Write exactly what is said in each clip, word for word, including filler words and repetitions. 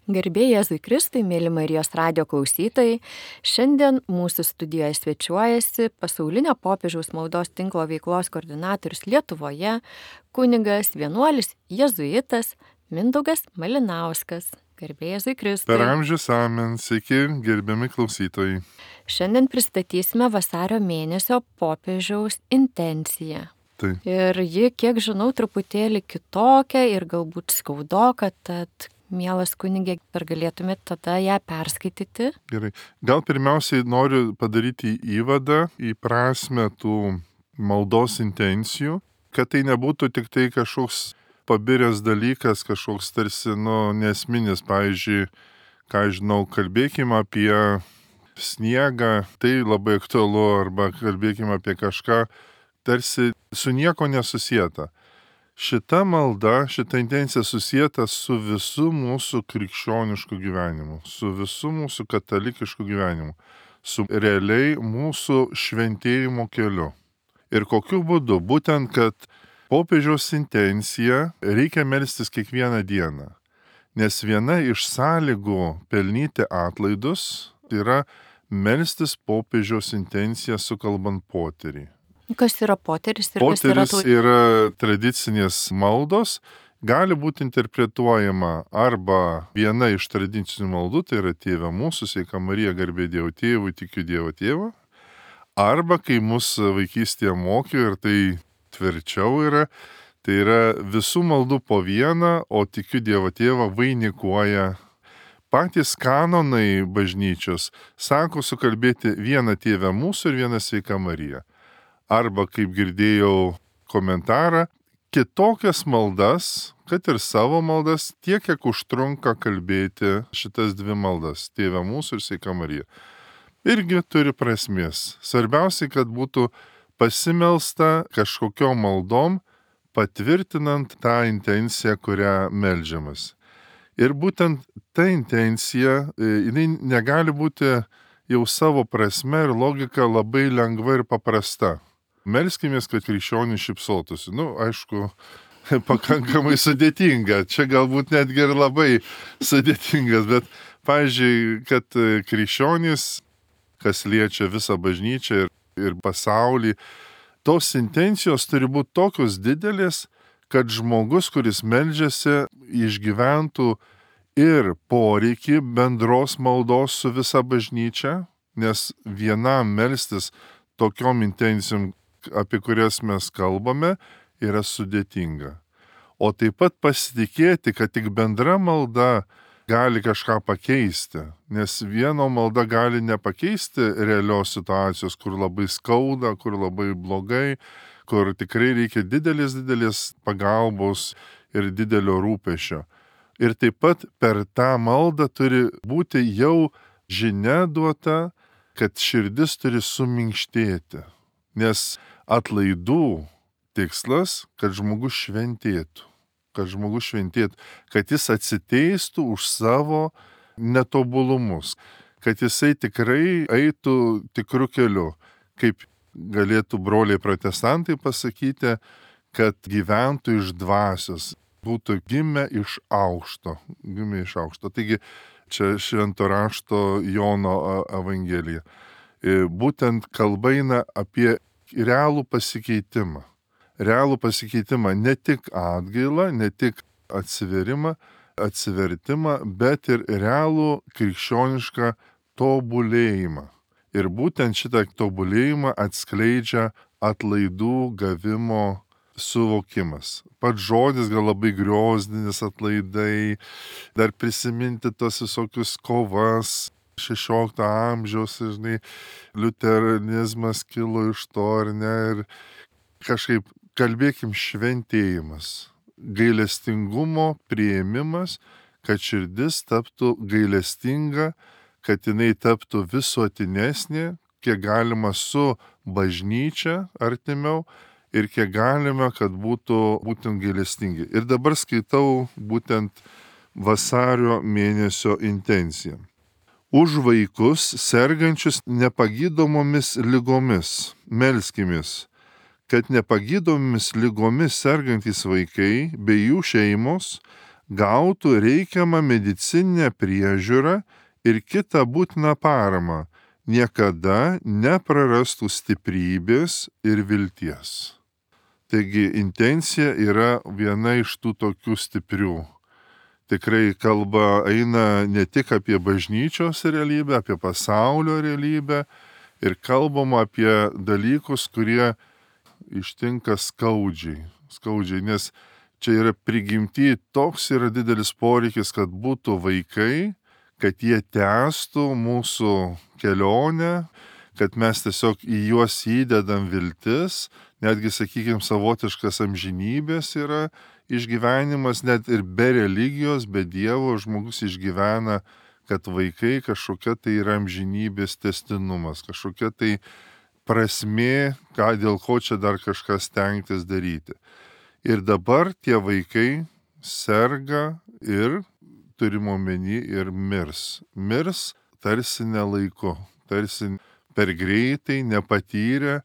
Garbė Jėzui Kristui, mėly Marijos radijo klausytojai, šiandien mūsų studijoje svečiuojasi pasaulinio popiežiaus maldos tinklo veiklos koordinatorius Lietuvoje, kunigas, vienuolis, jėzuitas Mindaugas Malinauskas. Garbė Jėzui Kristui. Per amžius amen, sveiki, gerbiami klausytojai. Šiandien pristatysime vasario mėnesio popiežiaus intenciją. Tai. Ir ji, kiek žinau, truputėlį kitokia ir galbūt skaudoka, tad mielas kunigė, ar galėtumėte tada ją perskaityti? Gerai. Gal pirmiausiai noriu padaryti įvadą į prasmę tų maldos intencijų, kad tai nebūtų tik tai kažkoks pabiręs dalykas, kažkoks tarsi, nu, nesminis, pavyzdžiui, ką žinau, kalbėkime apie sniegą, tai labai aktualu, arba kalbėkime apie kažką, tarsi su nieko nesusieta. Šita malda, šita intencija susieta su visu mūsų krikščionišku gyvenimu, su visu mūsų katalikišku gyvenimu, su realiai mūsų šventėjimo keliu. Ir kokiu būdu? Būtent, kad popiežiaus intencija reikia melstis kiekvieną dieną. Nes viena iš sąlygų pelnyti atlaidus yra melstis popiežiaus intenciją sukalbant poterį. Kas yra poteris ir Poteris kas yra tų... yra tradicinės maldos, gali būti interpretuojama arba viena iš tradicinių maldų, tai yra Tėve mūsų, sveika Marija, garbė Dievo Tėvui, tikiu Dievo Tėvą, arba kai mus vaikystėje mokė, ir tai tvirčiau yra, tai yra visų maldų po vieną, o tikiu Dievo Tėvą vainikuoja. Patys kanonai bažnyčios sako sukalbėti vieną Tėvę mūsų ir vieną sveika Mariją. Arba, kaip girdėjau komentarą, kitokias maldas, kad ir savo maldas, tiek, kiek užtrunka kalbėti šitas dvi maldas, Tėve mūsų ir sveika Marija. Irgi turi prasmės. Svarbiausia, kad būtų pasimelsta kažkokiom maldom, patvirtinant tą intenciją, kurią meldžiamas. Ir būtent ta intencija, jinai negali būti jau savo prasme ir logika labai lengva ir paprasta. Melskimės, kad krikščionys šypsotųsi. Nu, aišku, pakankamai sudėtinga. Čia galbūt netgi ir labai sudėtingas, bet, pavyzdžiui, kad krikščionys, kas liečia visą bažnyčią ir, ir pasaulį, tos intencijos turi būti tokios didelės, kad žmogus, kuris meldžiasi, išgyventų ir poreikį bendros maldos su visa bažnyčia, nes vienam melstis tokiom intencijom, apie kurias mes kalbame, yra sudėtinga. O taip pat pasitikėti, kad tik bendra malda gali kažką pakeisti, nes vieno malda gali nepakeisti realios situacijos, kur labai skauda, kur labai blogai, kur tikrai reikia didelės, didelės pagalbos ir didelio rūpesčio. Ir taip pat per tą maldą turi būti jau žinia duota, kad širdis turi suminkštėti. Nes atlaidų tikslas, kad žmogus šventėtų, kad žmogus šventėtų, kad jis atsiteistų už savo netobulumus, kad jisai tikrai eitų tikru keliu, kaip galėtų broliai protestantai pasakyti, kad gyventų iš dvasios, būtų gimę iš aukšto, gimę iš aukšto. Taigi čia švento rašto Jono evangelija. Būtent kalba eina apie realų pasikeitimą. Realų pasikeitimą, ne tik atgailą, ne tik atsiverimą, atsivertimą, bet ir realų krikščionišką tobulėjimą. Ir būtent šitą tobulėjimą atskleidžia atlaidų gavimo suvokimas. Pats žodis gal labai griozdinis, atlaidai, dar prisiminti tos visokius kovas, šešiolikto amžiaus, žinai, liuteranizmas kilo iš to, ar ne, ir kažkaip kalbėkim šventėjimas, gailestingumo priėmimas, kad širdis taptų gailestinga, kad jinai taptų visuotinesnė, kiek galima su bažnyčia artimiau ir kiek galima, kad būtų būtent gailestingi. Ir dabar skaitau būtent vasario mėnesio intenciją. Už vaikus sergančius nepagydomomis ligomis melskimės, kad nepagydomomis ligomis sergantys vaikai bei jų šeimos gautų reikiamą medicininę priežiūrą ir kitą būtiną paramą, niekada neprarastų stiprybės ir vilties. Taigi intencija yra viena iš tų tokių stiprių. Tikrai kalba eina ne tik apie bažnyčios realybę, apie pasaulio realybę ir kalbama apie dalykus, kurie ištinka skaudžiai. Skaudžiai, nes čia yra prigimti, toks yra didelis poreikis, kad būtų vaikai, kad jie tęstų mūsų kelionę, kad mes tiesiog į juos įdedam viltis, netgi, sakykime, savotiškas amžinybės yra išgyvenimas, net ir be religijos, be Dievo žmogus išgyvena, kad vaikai kažkokia tai yra amžinybės tęstinumas, kažkokia tai prasmė, ką, dėl ko čia dar kažkas stengtis daryti. Ir dabar tie vaikai serga ir, turime omeny, ir mirs. Mirs tarsi nelaiku, tarsi per greitai, nepatyrę,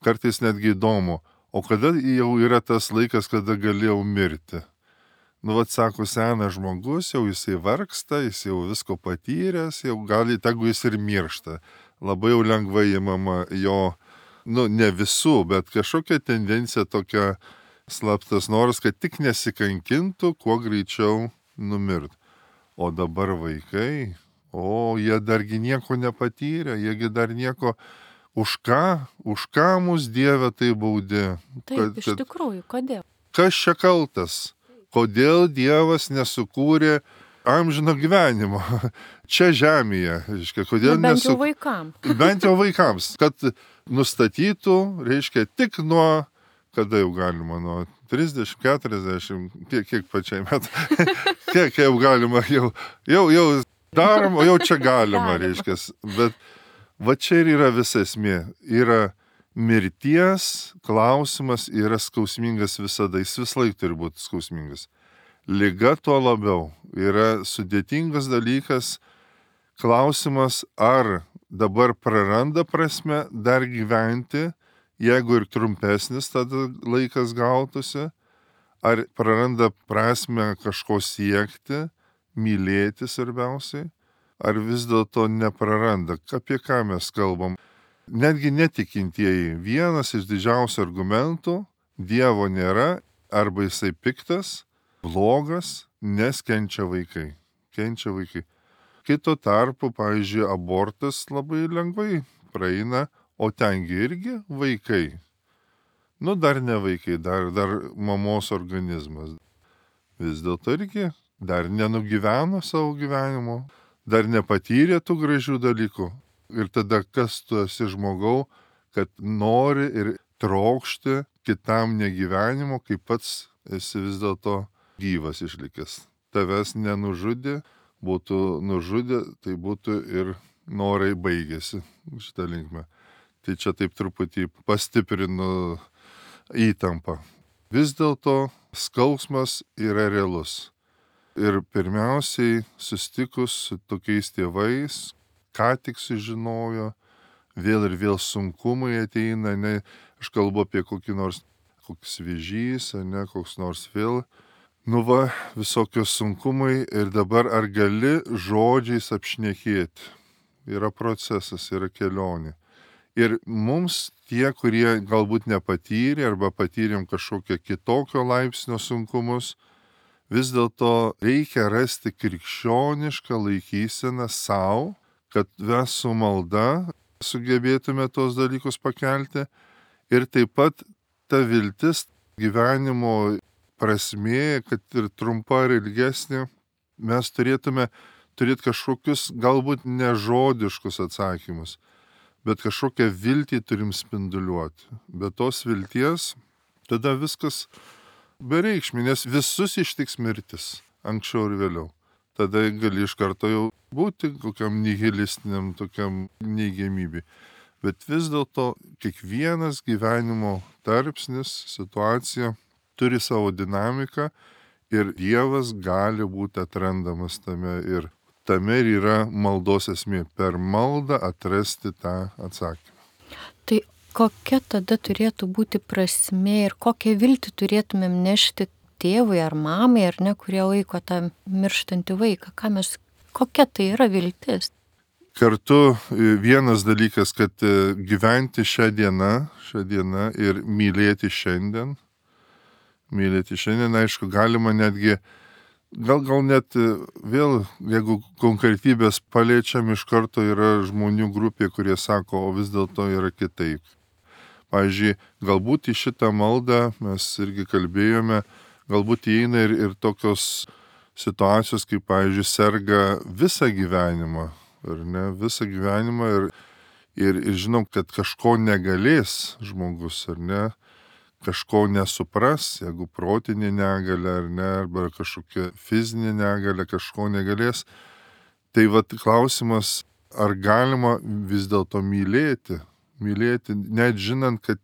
kartais netgi įdomu, o kada jau yra tas laikas, kada galėjau mirti. Nu, vat sako, senas žmogus, jau jisai vargsta, jis jau visko patyręs, jau gali, tegu jis ir miršta. Labai jau lengvai įmama jo, nu, ne visų, bet kažkokia tendencija tokia slaptas noras, kad tik nesikankintų, kuo greičiau numirt. O dabar vaikai, o jie dargi nieko nepatyrė, jiegi dar nieko, už ką, už ką mus Dieve tai baudė. Taip, kad, iš tikrųjų, kodėl? Kas čia kaltas? Kodėl Dievas nesukūrė amžino gyvenimo čia žemėje? Reiškia, kodėl nu, bent nesu... jau vaikams. Bent jau vaikams, kad nustatytų, reiškia, tik nuo, kada jau galima, nuo trisdešimt, keturiasdešimt, kiek, kiek pačiai metų, kiek jau galima, jau, jau, jau daroma, jau čia galima, reiškia. Bet va čia ir yra visa esmė. Yra mirties klausimas, yra skausmingas visada, jis vis laik turi būti skausmingas. Liga tuo labiau yra sudėtingas dalykas, klausimas, ar dabar praranda prasme dar gyventi, jeigu ir trumpesnis tada laikas gautųsi, ar praranda prasme kažko siekti, mylėti svarbiausiai, ar vis dėlto nepraranda. Apie ką mes kalbam? Netgi netikintieji, vienas iš didžiausių argumentų - Dievo nėra, arba jisai piktas, blogas, nes kenčia vaikai. Kenčia vaikai. Kito tarpu, pavyzdžiui, abortas labai lengvai praeina, o tengi irgi vaikai. Nu, dar ne vaikai, dar, dar mamos organizmas. Vis dėlto irgi dar nenugyveno savo gyvenimo, dar nepatyrė tų gražių dalykų. Ir tada kas tu esi žmogau, kad nori ir trokšti kitam negyvenimo, kai pats esi vis dėlto gyvas išlikęs. Tavęs nenužudė, būtų nužudė, tai būtų ir norai baigėsi šitą linkmę. Tai čia taip truputį pastiprinu įtampą. Vis dėlto skausmas yra realus. Ir pirmiausiai susitikus su tokiais tėvais, ką tik sužinojo, vėl ir vėl sunkumai ateina, ne, aš kalbu apie kokį nors, koks vėžys, ne, koks nors vėl, nu va, visokios sunkumai ir dabar ar gali žodžiais apšnekėti. Yra procesas, yra kelionė. Ir mums tie, kurie galbūt nepatyrė arba patyrėm kažkokią kitokio laipsnio sunkumus, vis dėlto reikia rasti krikščionišką laikyseną savo, kad mes su malda sugebėtume tos dalykus pakelti ir taip pat ta viltis gyvenimo prasmė, kad ir trumpa ar ilgesnė, mes turėtume turėti kažkokius galbūt nežodiškus atsakymus, bet kažkokią viltį turim spinduliuoti. Be tos vilties tada viskas bereikšmė, nes visus ištiks mirtis, anksčiau ir vėliau. Tada gali iš karto jau būti kokiam nihilistiniam, tokiam neigiamybei. Bet vis dėlto kiekvienas gyvenimo tarpsnis, situacija turi savo dinamiką ir Dievas gali būti atrandamas tame ir tame ir yra maldos esmė. Per maldą atrasti tą atsakymą. Tai kokia tada turėtų būti prasmė ir kokią viltį turėtumėm nešti tėvui ar mamai, ar ne, kurie laiko tą mirštantį vaiką? Ką mes, kokia tai yra viltis? Kartu vienas dalykas, kad gyventi šią dieną, šią dieną ir mylėti šiandien. Mylėti šiandien, aišku, galima netgi, gal, gal net vėl, jeigu konkretybės paliečiam, iš karto yra žmonių grupė, kurie sako, o vis dėlto yra kitaip. Pavyzdžiui, galbūt į šitą maldą mes irgi kalbėjome, galbūt įeina ir, ir tokios situacijos, kaip, pavyzdžiui, serga visą gyvenimą, ar ne, visą gyvenimą ir, ir, ir žinom, kad kažko negalės žmogus, ar ne, kažko nesupras, jeigu protinė negalia, ar ne, arba kažkokia fizinė negalia, kažko negalės. Tai vat klausimas, ar galima vis dėlto mylėti, mylėti, net žinant, kad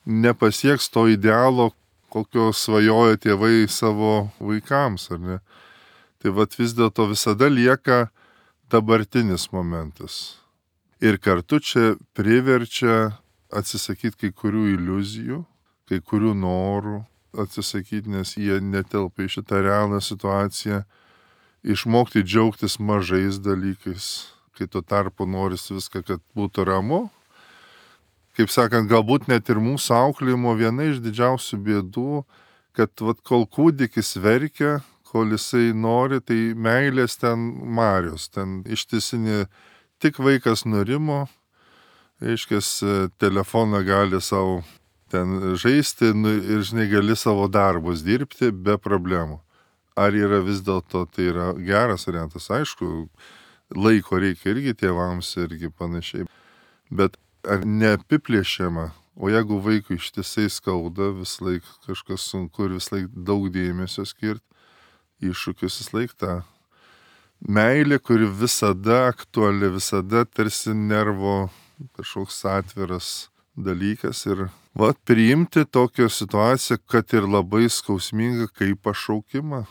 nepasieks to idealo, kokio svajoja tėvai savo vaikams, ar ne. Tai vat vis dėlto visada lieka dabartinis momentas. Ir kartu čia priverčia atsisakyti kai kurių iliuzijų, kai kurių norų atsisakyti, nes jie netelpa į šitą realią situaciją, išmokti džiaugtis mažais dalykais, kai tuo tarpu norisi viską, kad būtų ramu. Kaip sakant, galbūt net ir mūsų auklėjimo viena iš didžiausių bėdų, kad vat, kol kūdikis verkia, kol jisai nori, tai meilės ten marios, ten ištisinė, tik vaikas nurimo, reiškias, telefoną gali savo ten žaisti ir, žinai, gali savo darbus dirbti be problemų. Ar yra vis dėlto tai yra geras variantas? Aišku, laiko reikia irgi tėvams irgi panašiai, bet ar neapiplėšiama, o jeigu vaikui ištisai skauda, vis laik kažkas sunku ir vis laik daug dėmesio skirti, iššūkius vis laik tą meilė, kuri visada aktuali, visada tarsi nervo kažkoks atviras dalykas ir va, priimti tokią situaciją, kad ir labai skausminga kaip pašaukimą.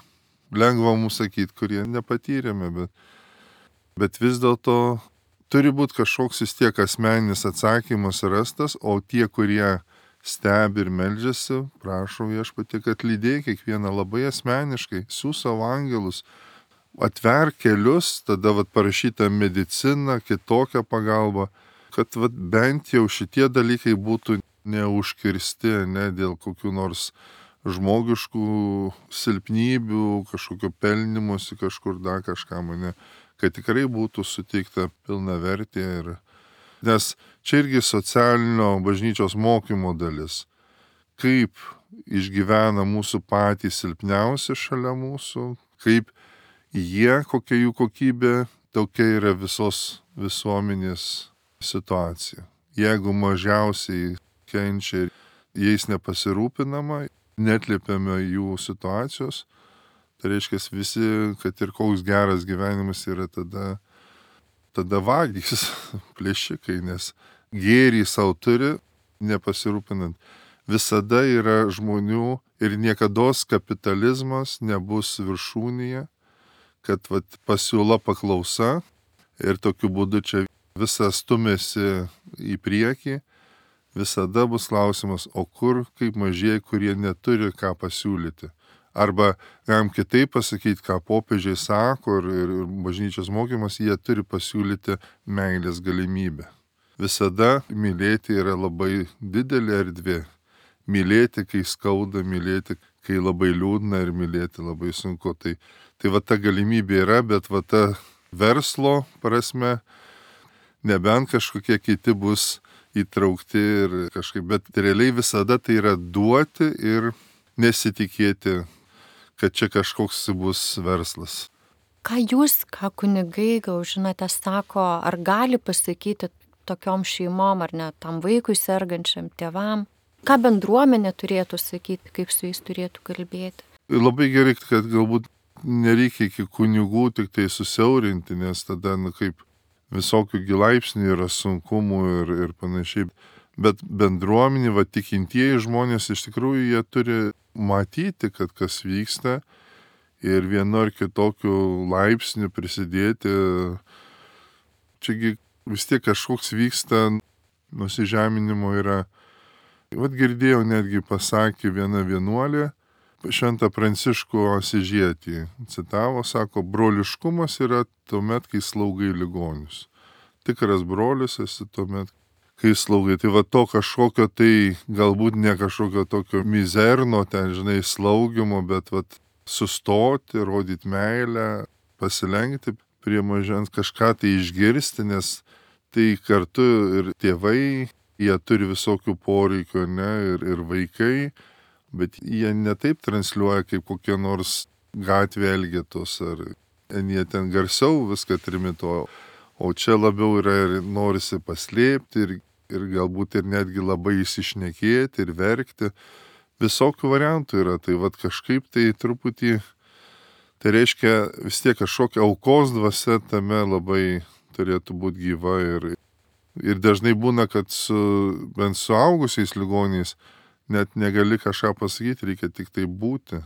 Lengva mums sakyti, kurie nepatyrėme, bet, bet vis dėlto turi būti kažkoks vis tiek asmeninis atsakymas rastas, o tie, kurie stebi ir meldžiasi, prašau Viešpatie, kad lydėk kiekvieną labai asmeniškai, siųsk savo angelus, atverk kelius, tada vat, parašyta medicina, kitokią pagalbą, kad vat, bent jau šitie dalykai būtų neužkirsti, ne dėl kokių nors žmogiškų silpnybių, kažkokio pelnimusi kažkur dar kažkam, ne, kad tikrai būtų suteikta pilna vertė. Ir... Nes čia irgi socialinio bažnyčios mokymo dalis. Kaip išgyvena mūsų patys silpniausi šalia mūsų, kaip jie, kokia jų kokybė, tokia yra visos visuomenės situacija. Jeigu mažiausiai kenčia, jais nepasirūpinama, netliepiame jų situacijos, tai reiškia visi, kad ir koks geras gyvenimas yra tada, tada vagys, plėšikai, nes gėrį savo turi, nepasirūpinant. Visada yra žmonių ir niekados kapitalizmas nebus viršūnėje, kad vat, pasiūla paklausa ir tokiu būdu čia visas stumėsi į priekį, visada bus klausimas, o kur kaip mažieji, kurie neturi ką pasiūlyti. Arba galim kitaip pasakyti, ką popiežiai sako ir, ir bažnyčios mokymas, jie turi pasiūlyti meilės galimybę. Visada mylėti yra labai didelė erdvė. Mylėti, kai skauda, mylėti, kai labai liūdna ir mylėti labai sunku. Tai, tai va ta galimybė yra, bet va ta verslo prasme, nebent kažkokie kiti bus įtraukti ir kažkaip, bet realiai visada tai yra duoti ir nesitikėti, kad čia kažkoks bus verslas. Ką jūs, ką kunigai, gal žinote, sako, ar gali pasakyti tokiom šeimom, ar net tam vaikui sergančiam tėvam, ką bendruomenė turėtų sakyti, kaip su jais turėtų kalbėti? Labai gerai, kad galbūt nereikia iki kunigų tik tai susiaurinti, nes tada, na, kaip visokių gilaipsnių yra sunkumų ir, ir panašiai. Bet bendruomenė, va, tikintieji žmonės iš tikrųjų jie turi matyti, kad kas vyksta ir vienu ar kitokiu laipsniu prisidėti. Čiagi vis tiek kažkoks vyksta, nusižeminimo yra. Vat girdėjau, netgi pasakė viena vienuolė, Šventą Pranciškų Asižietį citavo, sako, broliškumas yra tuomet, kai slaugai ligonius. Tikras brolis esi tuomet, kai slaugai. Tai va to kažkokio tai, galbūt ne kažkokio tokio mizerno, ten, žinai, slaugimo, bet va sustoti, rodyti meilę, pasilenkti prie mažens, kažką tai išgirsti, nes tai kartu ir tėvai, jie turi visokių poreikių, ne, ir, ir vaikai, bet jie netaip transliuoja kaip kokie nors gatvė elgetos, ar jie ten garsiau viską trimituoja, o čia labiau yra ir norisi paslėpti, ir, ir galbūt ir netgi labai įsišnekėti ir verkti. Visokių variantų yra, tai vad kažkaip tai truputį, tai reiškia vis tiek kažkokia aukos dvasia tame labai turėtų būti gyva, ir, ir dažnai būna, kad su bent suaugusiais ligoniais net negali kažką pasakyti, reikia tik tai būti,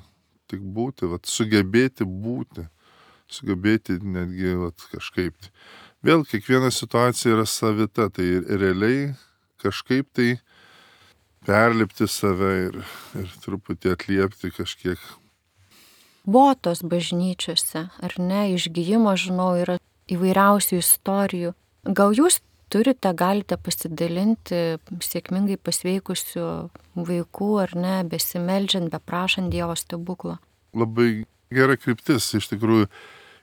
tik būti, vat, sugebėti būti, sugebėti netgi vat, kažkaip. Vėl kiekviena situacija yra savita, tai realiai kažkaip tai perlipti save ir, ir truputį atliepti kažkiek. Votos bažnyčiose, ar ne, išgijimo, žinau, yra įvairiausių istorijų. Gal jūs turite, galite pasidalinti sėkmingai pasveikusių vaikų, ar ne, besimeldžiant, beprašant Dievo stebuklo? Labai gera kryptis, iš tikrųjų,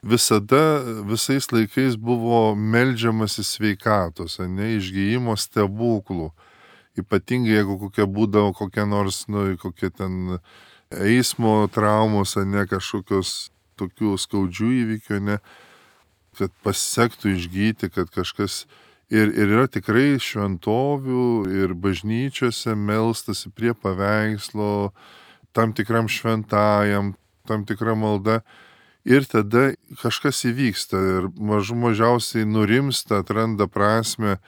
visada, visais laikais buvo meldžiamasi sveikatos, ne, išgijimo stebuklų. Ypatingai, jeigu kokia būdavo kokia nors, nu, kokia ten eismo traumos, ne, kažkokios tokių skaudžių įvykių, ne, kad pasisektų išgyti, kad kažkas. Ir, ir yra tikrai šventovių ir bažnyčiose melstasi prie paveikslo, tam tikram šventajam, tam tikra malda. Ir tada kažkas įvyksta ir mažų mažiausiai nurimsta, atranda prasme.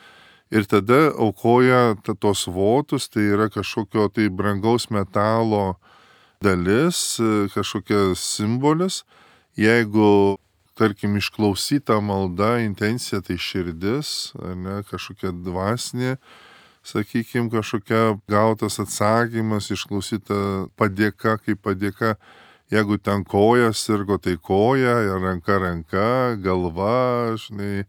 Ir tada aukoja tos votus, tai yra kažkokio tai brangaus metalo dalis, kažkokia simbolis. Jeigu tarkim, išklausyta malda, intencija, tai širdis, ne, kažkokia dvasinė, sakykime, kažkokia gautas atsakymas, išklausyta padėka kaip padėka. Jeigu ten koja sirgo, tai koja, ranka ranka, galva, žinai,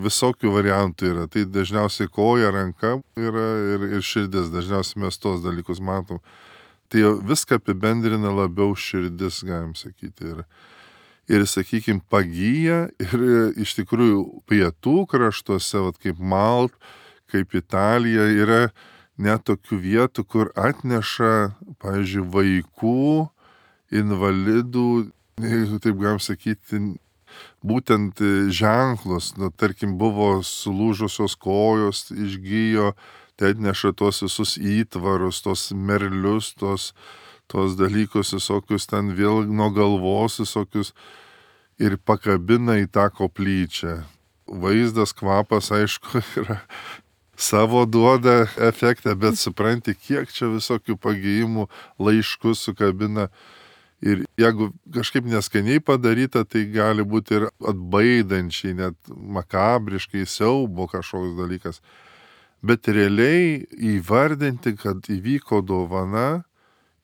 visokių variantų yra. Tai dažniausiai koja, ranka yra ir, ir širdis, dažniausiai mes tos dalykus matom. Tai viską apibendrina labiau širdis, galim sakyti. Ir, Ir, sakykime, pagyja ir iš tikrųjų pietų kraštuose, vat, kaip Malt, kaip Italija, yra net tokių vietų, kur atneša, pavyzdžiui, vaikų, invalidų, taip galim sakyti, būtent ženklus. Nu, tarkim, buvo sulūžusios kojos, išgyjo, tai atneša tos visus įtvarus, tos merlius, tos tos dalykus, visokius ten vėl nuo galvos, visokius ir pakabina į tą koplyčią. Vaizdas, kvapas, aišku, yra savo duoda efektą, bet supranti, kiek čia visokių pagijimų laiškus sukabina. Ir jeigu kažkaip neskaniai padaryta, tai gali būti ir atbaidančiai, net makabriškai, siaubo kažkoks dalykas. Bet realiai įvardinti, kad įvyko dovana,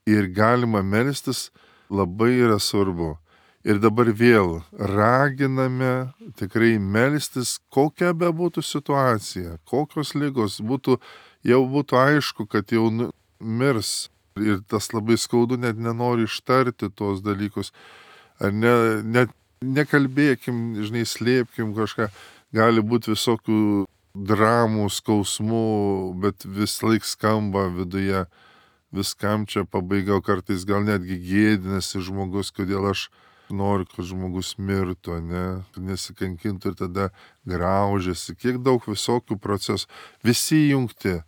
ir galima melstis, labai yra svarbu. Ir dabar vėl raginame tikrai melstis, kokia be būtų situacija, kokios ligos būtų, jau būtų aišku, kad jau mirs. Ir tas labai skaudu, net nenori ištarti tos dalykus. Ar ne, net nekalbėkim, žinai, slėpkim kažką. Gali būti visokių dramų, skausmų, bet vis laik skamba viduje. Viskam čia pabaiga, kartais gal netgi gėdinasi žmogus, kodėl aš noriu, kad žmogus mirtų, ne, nesikankintų ir tada graužiasi. Kiek daug visokių procesų. Visi jungti.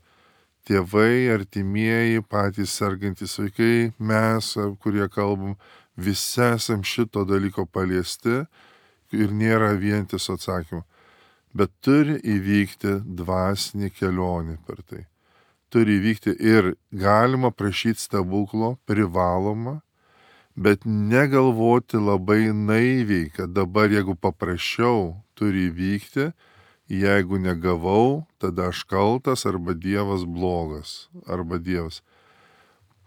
Tėvai, artimieji, patys sergantys vaikai, mes, kurie kalbam, visi esam šito dalyko paliesti ir nėra vientiso atsakymo. Bet turi įvykti dvasinė kelionė per tai. Turi įvykti ir galima prašyti stebuklo, privaloma, bet negalvoti labai naiviai, kad dabar jeigu paprašiau, turi įvykti, jeigu negavau, tada aš kaltas arba Dievas blogas, arba Dievas.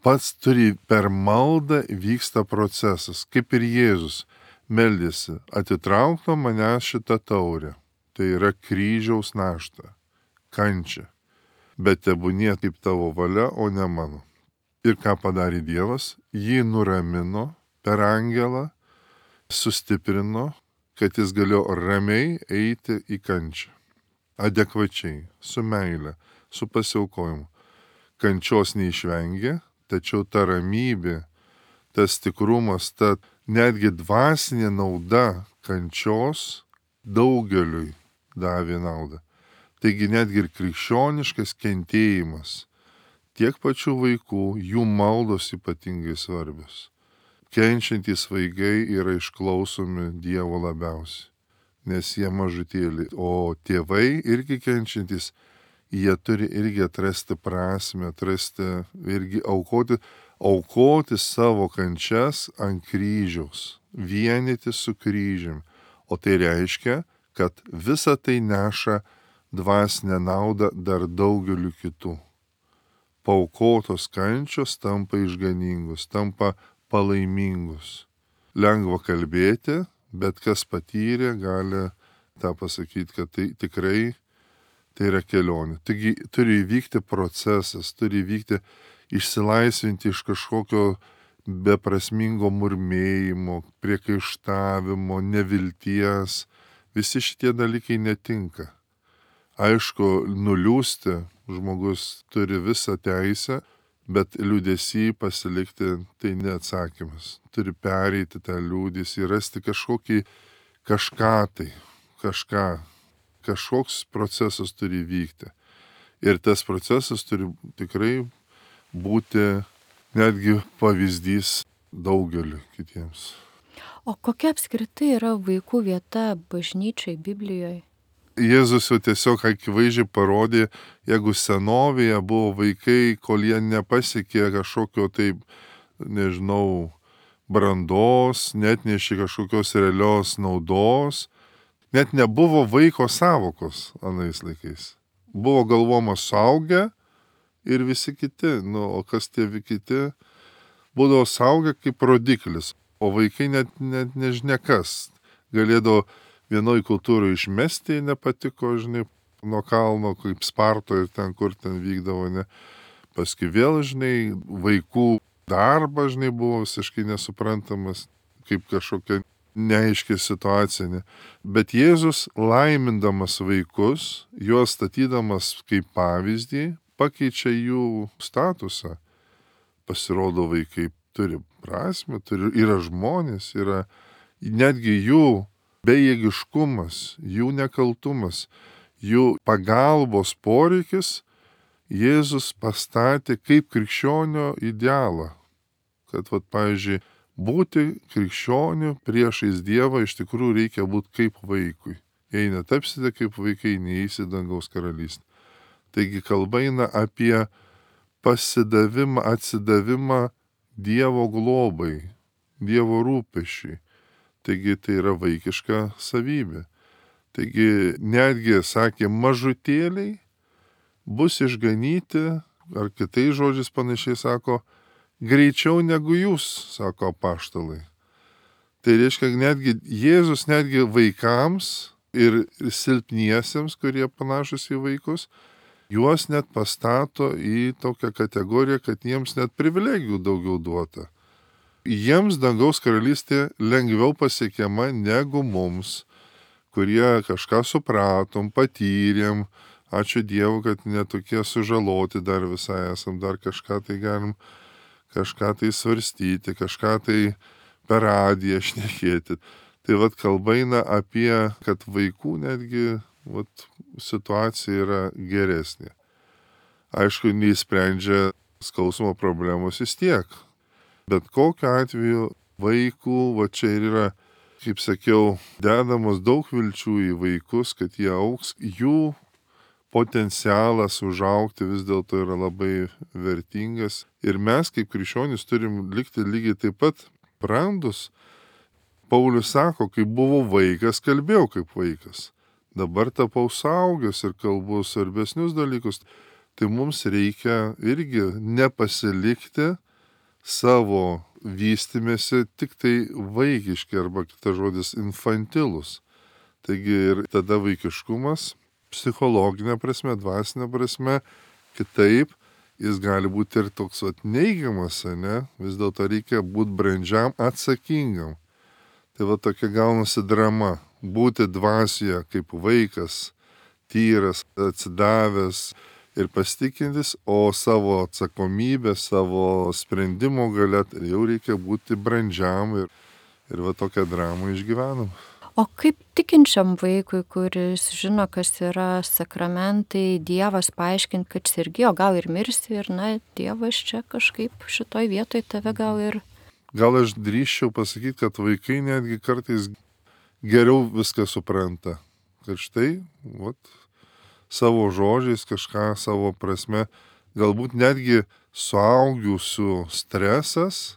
pats turi per maldą vyksta procesas, kaip ir Jėzus meldėsi, atitrauk nuo manęs šitą taurę. Tai yra kryžiaus našta, kančia. Bet tebūnie kaip tavo valia, o ne mano. Ir ką padarė Dievas? Jį nuramino per angelą, sustiprino, kad jis galėjo ramiai eiti į kančią. Adekvačiai, su meile, su pasiaukojimu. Kančios neišvengė, tačiau ta ramybė, tas tikrumas, ta netgi dvasinė nauda kančios daugeliui davė naudą. Taigi netgi ir krikščioniškas kentėjimas, tiek pačių vaikų, jų maldos ypatingai svarbios. Kenčiantys vaikai yra išklausomi Dievo labiausiai, nes jie mažutėliai, o tėvai irgi kenčiantys, jie turi irgi atrasti prasme, atrasti irgi aukoti, aukoti savo kančias ant kryžiaus, vienyti su kryžium. O tai reiškia, kad visa tai neša dvasinę naudą dar daugeliu kitų. Paukotos kančios tampa išganingus, tampa palaimingus. Lengva kalbėti, bet kas patyrė, gali tą pasakyti, kad tai tikrai tai yra kelionė. Taigi turi įvykti procesas, turi įvykti išsilaisvinti iš kažkokio beprasmingo murmėjimo, priekaištavimo, nevilties. Visi šitie dalykai netinka. Aišku, nuliūsti žmogus turi visą teisę, bet liūdesį pasilikti tai neatsakymas. Turi pereiti tą liūdesį, rasti kažkokį kažką tai, kažką, kažkoks procesas turi vykti. Ir tas procesas turi tikrai būti netgi pavyzdys daugeliu kitiems. O kokia apskritai yra vaikų vieta bažnyčiai Biblijoje? Jėzus jau tiesiog akivaizdžiai parodė, jeigu senovėje buvo vaikai, kol jie nepasiekė kažkokio taip, nežinau, brandos, net nešė kažkokios realios naudos, net nebuvo vaiko savokos anais laikais. Buvo galvoma suaugę ir visi kiti, nu, o kas tie kiti, būdavo suaugę kaip rodiklis, o vaikai net, net nežinia kas. Galėdavo vienoj kultūroje išmesti, nepatiko, žinai, nuo kalno, kaip Spartoje ir ten, kur ten vykdavo, ne. Paskui vėl, žinai, vaikų darbas, žinai, buvo visiškai nesuprantamas, kaip kažkokia neaiški situacija, ne. Bet Jėzus, laimindamas vaikus, juos statydamas kaip pavyzdį, pakeičia jų statusą. Pasirodo, vaikai turi prasmę, turi, yra žmonės, yra netgi jų bejėgiškumas, jų nekaltumas, jų pagalbos poreikis Jėzus pastatė kaip krikščionio idealą. Kad, vat, pavyzdžiui, būti krikščioniu priešais Dievą iš tikrųjų reikia būti kaip vaikui. Jei netapsite kaip vaikai, neįsi dangaus karalystę. Taigi kalba eina apie pasidavimą, atsidavimą Dievo globai, Dievo rūpesčiui. Taigi tai yra vaikiška savybė. Taigi netgi, sakė, mažutėliai bus išganyti, ar kitais žodžiais panašiai sako, greičiau negu jūs, sako apaštalai. Tai reiškia, netgi Jėzus netgi vaikams ir silpniesiems, kurie panašus į vaikus, juos net pastato į tokią kategoriją, kad jiems net privilegijų daugiau duota. Jiems dangaus karalystė lengviau pasiekiama negu mums, kurie kažką supratom, patyrėm. Ačiū Dievui, kad netokie sužaloti dar visai esam, dar kažką tai galim, kažką tai svarstyti, kažką tai per radiją šnekėti. Tai vat kalba eina apie, kad vaikų netgi vat, situacija yra geresnė. Aišku, neįsprendžia skausmo problemos vis tiek. Bet kokiu atveju vaikų, va čia ir yra, kaip sakiau, dedamos daug vilčių į vaikus, kad jie augs, jų potencialas užaugti vis dėlto yra labai vertingas. Ir mes kaip krikščionys turim likti lygiai taip pat brandus. Paulius sako, kai buvau vaikas, kalbėjau kaip vaikas. Dabar tapau suaugęs ir kalbu svarbesnius dalykus. Tai mums reikia irgi nepasilikti savo vystimėsi tik tai vaikiški arba kitas žodis infantilus. Taigi ir tada vaikiškumas psichologinė prasme, dvasinė prasme, kitaip jis gali būti ir toks vat, neigiamas, ne? Vis dėlto reikia būti brandžiam, atsakingam. Tai va tokia gaunasi drama. Būti dvasioje kaip vaikas, tyras, atsidavęs ir pasitikintis, o savo atsakomybę, savo sprendimo galia jau reikia būti brandžiam ir, ir va tokią dramą išgyvenam. O kaip tikinčiam vaikui, kuris žino, kas yra sakramentai, Dievas paaiškinti, kad sergi, o gal ir mirsi ir, na, Dievas čia kažkaip šitoj vietoj tave gal ir... Gal aš drįsčiau pasakyti, kad vaikai netgi kartais geriau viską supranta. Kad štai, vat, savo žodžiais kažką savo prasme, galbūt netgi suaugusių stresas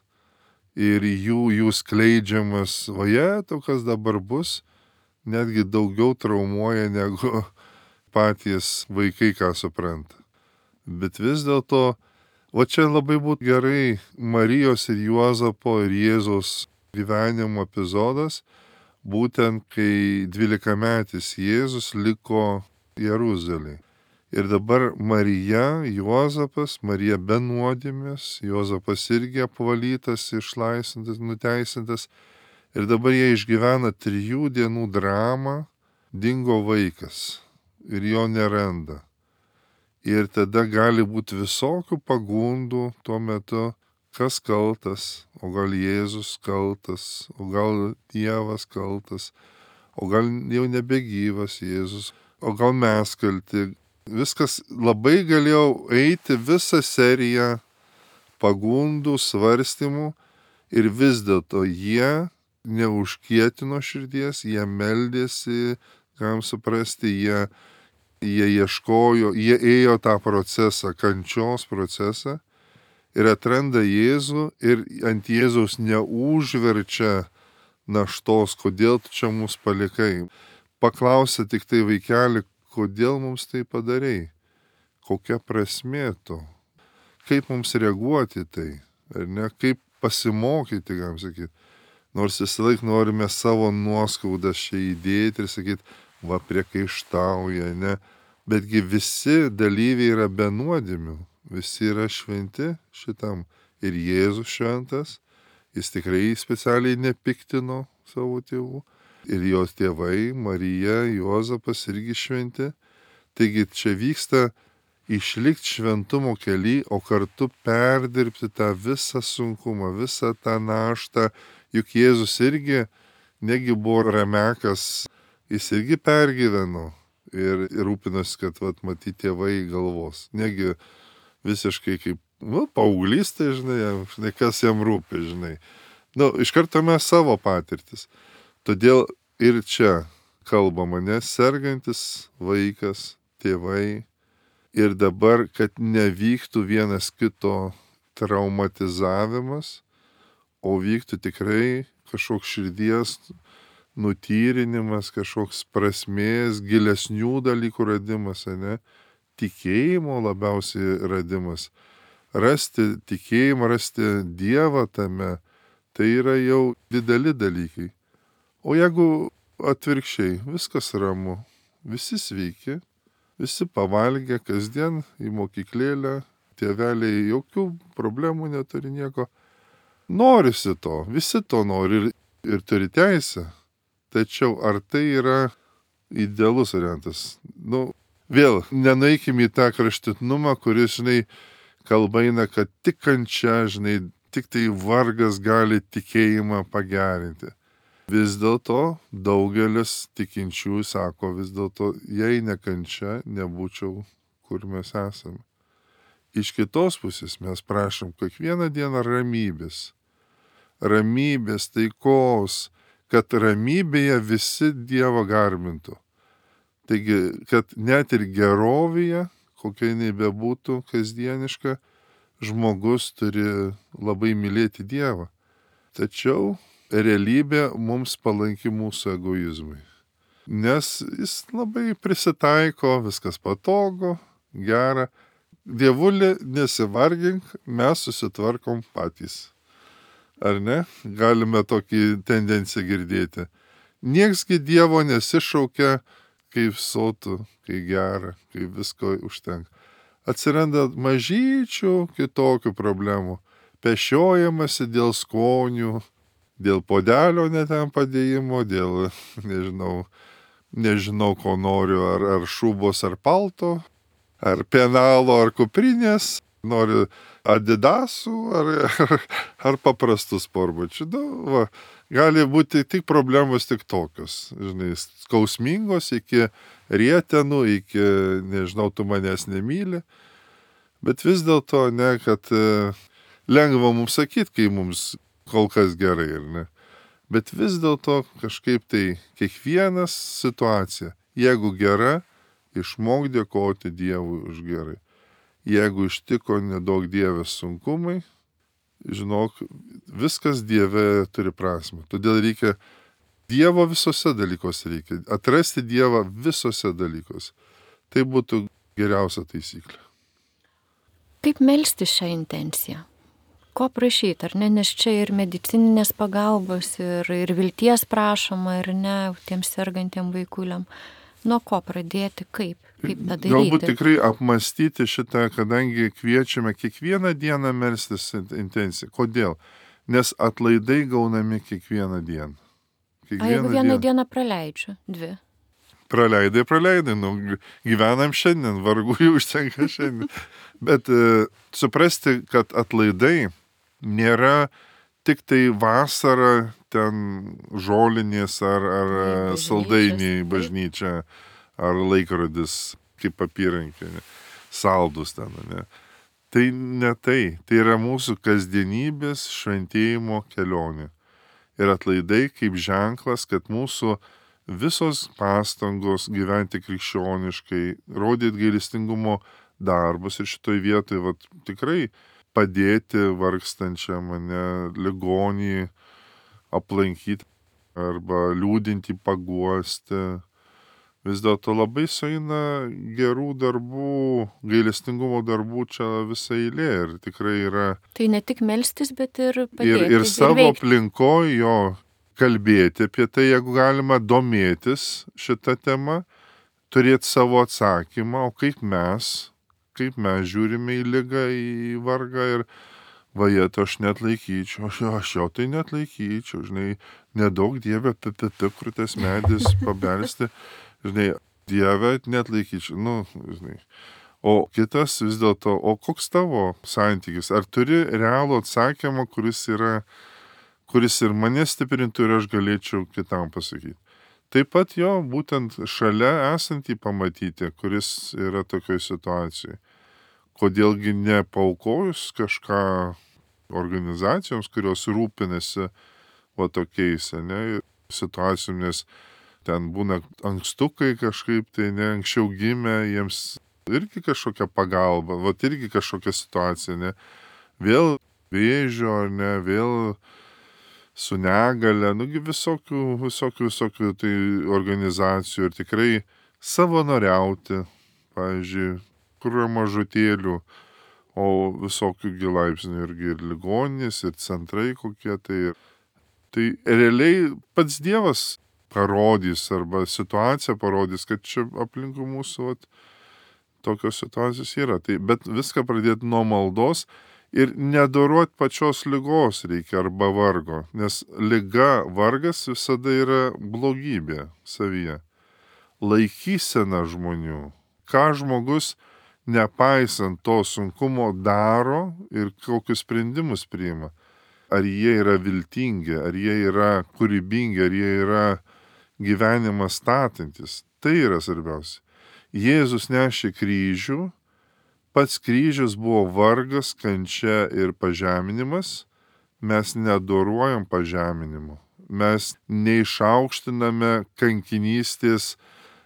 ir jų, jų skleidžiamas, vaje, to kas dabar bus, netgi daugiau traumuoja negu patys vaikai, ką supranta. Bet vis dėlto, va čia labai būtų gerai Marijos ir Juozapo ir Jėzaus gyvenimo epizodas, būtent kai dvylikametis Jėzus liko Jeruzalėje. Ir dabar Marija, Juozapas, Marija be nuodėmės, Juozapas irgi apvalytas, išlaisvintas, nuteisintas. Ir dabar jie išgyvena trijų dienų dramą, dingo vaikas ir jo neranda. Ir tada gali būti visokių pagundų tuo metu, kas kaltas, o gal Jėzus kaltas, o gal Dievas kaltas, o gal jau nebegyvas Jėzus, o gal mes kalti. Viskas labai galėjau eiti visą seriją pagundų, svarstymų ir vis dėlto jie neužkietino širdies, jie meldėsi, kam suprasti, jie, jie ieškojo, jie ėjo tą procesą, kančios procesą ir atranda Jėzų ir ant Jėzaus neužverčia naštos, kodėl tu čia mus palikai. Paklausė tik tai vaikelį, kodėl mums tai padarei, kokia prasmė to, kaip mums reaguoti tai, ar ne, kaip pasimokyti, galim sakyti. Nors visą laiką norime savo nuoskaudą čia įdėti ir sakyti, va priekaištauja, ne, betgi visi dalyviai yra be nuodėmių, visi yra šventi šitam. Ir Jėzus šventas, jis tikrai specialiai nepiktino savo tėvų. Ir jos tėvai, Marija, Juozapas irgi šventi. Taigi čia vyksta išlikti šventumo kely, o kartu perdirbti tą visą sunkumą, visą tą naštą. Juk Jėzus irgi, negi buvo ramekas, jis irgi pergyveno ir, ir rūpinosi, kad vat, matyti tėvai galvos. Negi visiškai kaip, nu, paauglys, tai žinai, žinai, kas jam rūpi, žinai. Nu, iš karto mes savo patirtis. Todėl ir čia kalbama, nes sergantis vaikas, tėvai ir dabar, kad nevyktų vienas kito traumatizavimas, o vyktų tikrai kažkoks širdies nutyrinimas, kažkoks prasmės, gilesnių dalykų radimas, ne? Tikėjimo labiausiai radimas. Rasti tikėjimą, rasti Dievą tame, tai yra jau dideli dalykai. O jeigu atvirkščiai, viskas ramu, visi sveiki, visi pavalgę kasdien į mokyklėlę, tėveliai jokių problemų neturi nieko, norisi to, visi to nori ir, ir turi teisę. Tačiau ar tai yra idealus variantas? Nu, vėl, nenueikim į tą kraštutinumą, kuris, žinai, kalba eina, kad tik kančia, žinai, tik tai vargas gali tikėjimą pagerinti. Vis dėlto daugelis tikinčiųjų sako, vis dėlto, jei nekančia, nebūčiau, kur mes esame. Iš kitos pusės mes prašom kiekvieną dieną ramybės. Ramybės, taikos, kad ramybėje visi Dievą garbintų. Taigi, kad net ir gerovėje, kokia jinai bebūtų kasdieniška, žmogus turi labai mylėti Dievą. Tačiau realybė mums palanki mūsų egoizmui. Nes jis labai prisitaiko, viskas patogu, gera, Dievulė, nesivargink, mes susitvarkom patys. Ar ne? Galime tokį tendenciją girdėti. Nieksgi Dievo nesišaukia, kaip sotų, kai gera, kai visko užtenka. Atsiranda mažyčių kitokių problemų. Pešiojamasi dėl skonių, dėl podelio neten padėjimo, dėl, nežinau, nežinau, ko noriu, ar, ar šubos, ar palto, ar penalo, ar kuprinės, noriu adidasų, ar, ar, ar paprastų sportbačių. Nu, va, gali būti tik problemos tik tokios, žinai, skausmingos iki rietenų, iki, nežinau, tu manęs nemyli, bet vis dėlto, ne, kad e, lengva mums sakyti, kai mums kol kas gerai, ar ne. Bet vis dėlto kažkaip tai kiekvienas situacija, jeigu gera, išmok dėkoti Dievui už gerai. Jeigu ištiko nedaug Dievės sunkumai, žinok, viskas Dieve turi prasmę. Todėl reikia Dievo visose dalykuose reikia. Atrasti Dievą visose dalykuose. Tai būtų geriausia taisyklė. Kaip melsti šią intenciją? Ko prašyti, ar ne? Nes čia ir medicininės pagalbos, ir, ir vilties prašoma, ir ne, tiems sergantiem vaikuliam. Nuo ko pradėti, kaip, kaip tą daryti? Galbūt tikrai apmastyti šitą, kadangi kviečiame kiekvieną dieną melstis intenciją. Kodėl? Nes atlaidai gaunami kiekvieną dieną. Kiekvieną A jeigu vieną dieną, dieną praleidžiu, dvi? Praleidai, praleidai, nu, gyvenam šiandien, vargu jų užtenka šiandien. Bet e, suprasti, kad atlaidai nėra tik tai vasara, ten žolinės ar, ar saldainiai bažnyčia, ar laikrodis kaip apyrankė, saldus ten, ne. Tai ne tai, tai yra mūsų kasdienybės šventėjimo kelionė. Ir atlaidai kaip ženklas, kad mūsų visos pastangos gyventi krikščioniškai, rodyti gailestingumo darbus ir šitoj vietoj vat, tikrai padėti vargstančiam, mane ligonį aplankyti arba liūdinti, paguosti. Vis dėlto labai sueina gerų darbų, gailestingumo darbų čia visa eilė ir tikrai yra. Tai ne tik melstis, bet ir padėti. Ir, ir savo aplinkoje jo kalbėti apie tai, jeigu galima domėtis šitą temą, turėti savo atsakymą, o kaip mes, kaip mes žiūrime į ligą, į vargą ir vajetą aš net laikyčiau, aš, aš jau tai net laikyčiau, žinai, nedaug Dieve, pipipi, kur tas medis pabelsti, žinai, Dieve net laikyčiau, nu, žinai. O kitas vis dėlto, o koks tavo santykis? Ar turi realų atsakymą, kuris yra, kuris ir mane stiprintų ir aš galėčiau kitam pasakyti? Taip pat jo, būtent šalia esantį pamatyti, kuris yra tokioj situacijai. Kodėlgi nepaukojus kažką organizacijoms, kurios rūpinasi va tokiais, ne, situacijom, nes ten būna ankstukai kažkaip, tai ne, anksčiau gimė, jiems irgi kažkokia pagalba, va irgi kažkokia situacija, ne, vėl vėžio, ne, vėl su negale, nugi visokių, visokių, visokių tai organizacijų ir tikrai savanoriauti, pavyzdžiui, kur yra mažutėlių, o visokių gilaipsnių irgi ir ligoninės, ir centrai kokie tai. Tai realiai pats Dievas parodys arba situacija parodys, kad čia aplinkui mūsų vat, tokios situacijos yra. Tai, bet viską pradėti nuo maldos ir nedoroti pačios ligos reikia arba vargo, nes liga, vargas visada yra blogybė savyje. Laikysena žmonių. Ką žmogus nepaisant to sunkumo daro ir kokius sprendimus priima. Ar jie yra viltingi, ar jie yra kūrybingi, ar jie yra gyvenimą statantis. Tai yra svarbiausia. Jėzus nešė kryžių, pats kryžius buvo vargas, kančia ir pažeminimas. Mes nedoruojam pažeminimo. Mes neišaukštiname kankinystės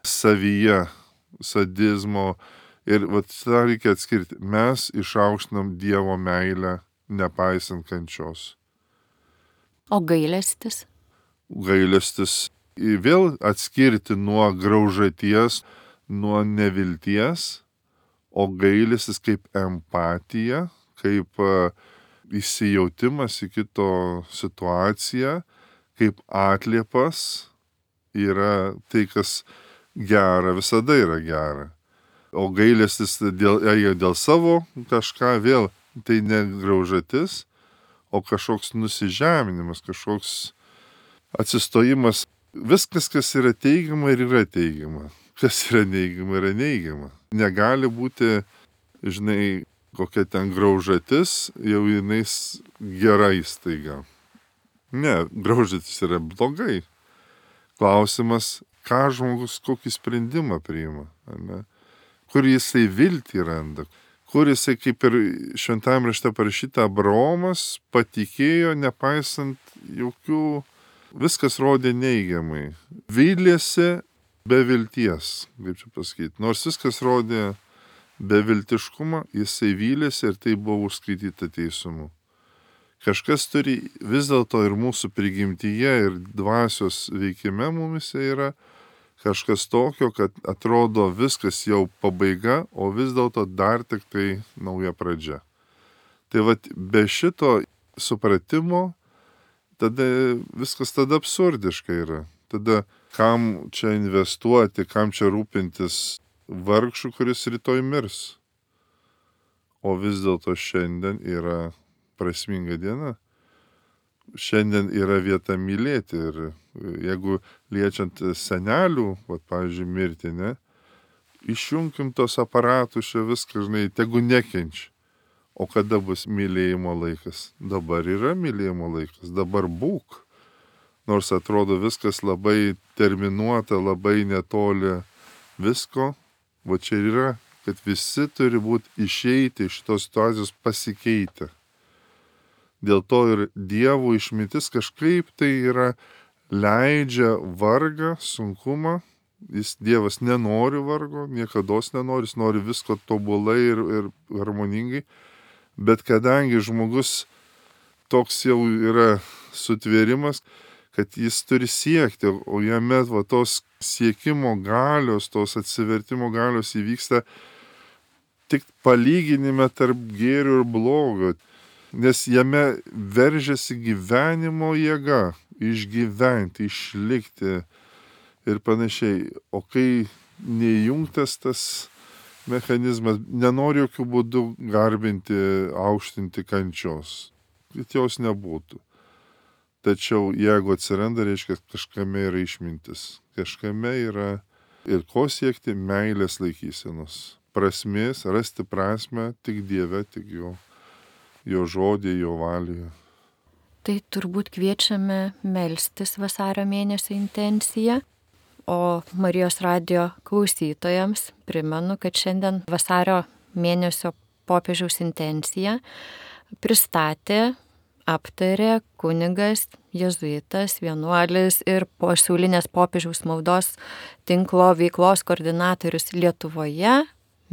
savyje, sadizmo. Ir vat tą reikia atskirti. Mes išaukštinam Dievo meilę, nepaisant kančios. O gailestis? Gailestis vėl atskirti nuo graužaties, nuo nevilties, o gailestis kaip empatija, kaip įsijautimas į kito situaciją, kaip atliepas yra tai, kas gera, visada yra gera. O gailestis dėl, dėl savo kažką vėl, tai ne graužatis, o kažkoks nusižeminimas, kažkoks atsistojimas. Viskas, kas yra teigiama ir yra teigiama. Kas yra neigiama, yra neigiama. Negali būti, žinai, kokia ten graužatis, jau jinais gera įstaiga. Ne, graužatis yra blogai. Klausimas, ką žmogus, kokį sprendimą priima, ne? Kur jisai viltį randa, kur jisai, kaip ir šventajame rašte parašyta, Abraomas patikėjo, nepaisant jokių, viskas rodė neigiamai. Vylėsi be vilties, kaip čia pasakyti. Nors viskas rodė beviltiškumą, jisai vylėsi ir tai buvo užskaityta teisumu. Kažkas turi vis dėlto ir mūsų prigimtyje, ir dvasios veikime mumise yra kažkas tokio, kad atrodo viskas jau pabaiga, o vis dėlto dar tik tai nauja pradžia. Tai vat be šito supratimo, tada viskas tada absurdiška yra. Tada kam čia investuoti, kam čia rūpintis vargšų, kuris rytoj mirs. O vis dėlto šiandien yra prasminga diena. Šiandien yra vieta mylėti ir jeigu liečiant senelių, vat, pavyzdžiui, mirtį, ne, išjunkim tos aparatus, čia viską, žinai, tegu nekenčia. O kada bus mylėjimo laikas? Dabar yra mylėjimo laikas, dabar būk. Nors atrodo viskas labai terminuota, labai netoli visko, va čia yra, kad visi turi būti išeiti iš šitos situacijos pasikeitę. Dėl to ir Dievo išmintis kažkaip tai yra leidžia vargą, sunkumą. Jis Dievas nenori vargo, niekados nenori, jis nori visko tobulai ir, ir harmoningai. Bet kadangi žmogus toks jau yra sutvėrimas, kad jis turi siekti, o jame va, tos siekimo galios, tos atsivertimo galios įvyksta tik palyginime tarp gėrio ir blogio. Nes jame veržiasi gyvenimo jėga, išgyventi, išlikti ir panašiai. O kai neįjungtas tas mechanizmas, nenori jokių būdų garbinti, aukštinti kančios, kad jos nebūtų. Tačiau jeigu atsiranda, reiškia, kažkame yra išmintis, kažkame yra ir ko siekti meilės laikysenos, prasmės, rasti prasmę tik Dieve, tik jo. Jo žodį, jo valį. Tai turbūt kviečiame melstis vasario mėnesio intenciją, o Marijos radijo klausytojams primenu, kad šiandien vasario mėnesio popiežiaus intenciją pristatė, aptarė kunigas, jėzuitas, vienuolis ir pasaulinės popiežiaus maldos tinklo veiklos koordinatorius Lietuvoje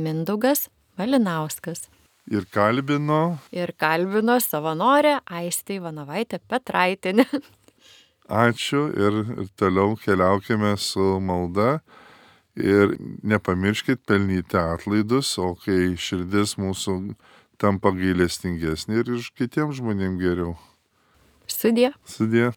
Mindaugas Malinauskas. Ir kalbino. Ir kalbino savanorę Aistę Ivanovaitę Petraitienę. Ačiū ir, ir toliau keliaukime su malda. Ir nepamirškit pelnyti atlaidus, o kai širdis mūsų tampa gailestingesnė ir iš kitiems žmonėms geriau. Sudie. Sudie.